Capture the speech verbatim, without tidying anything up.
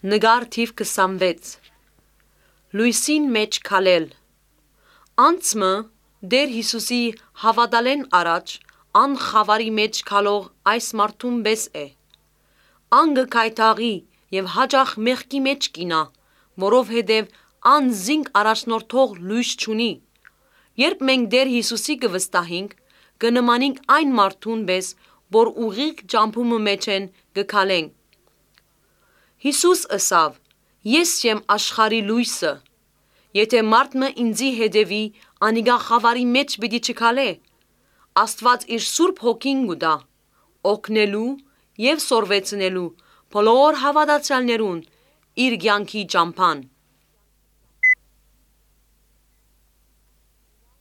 Նկար թիվ քսանվեց։ Լոյսին մէջ քալել։ Անց մը Տէր Յիսուսի հաւատալէն առաջ ան խաւարի մէջ քալող այս մարդուն պէս է։ Ան կը գայթակղի եւ յաճախ մեղքի մէջ կ'իյնայ, որովհետեւ ան զինք առաջնորդող լոյս չունի։ Երբ մենք Տէր Յիսուսի կը վստահինք, կը նմանինք այն մարդուն պէս, որ ուղիղ ճամբու մը մէջէն կը քալենք։ Յիսուս ըսաւ. «Ես եմ աշխարհի լոյսը։ Եթէ մարդ մը ինծի հետեւի, անիկա խաւարի մէջ պիտի չքալէ։ Աստուած իր Սուրբ Հոգին կու տայ, օգնելու եւ սորվեցնելու բոլոր հաւատացեալներուն իր կեանքի ճամբան»։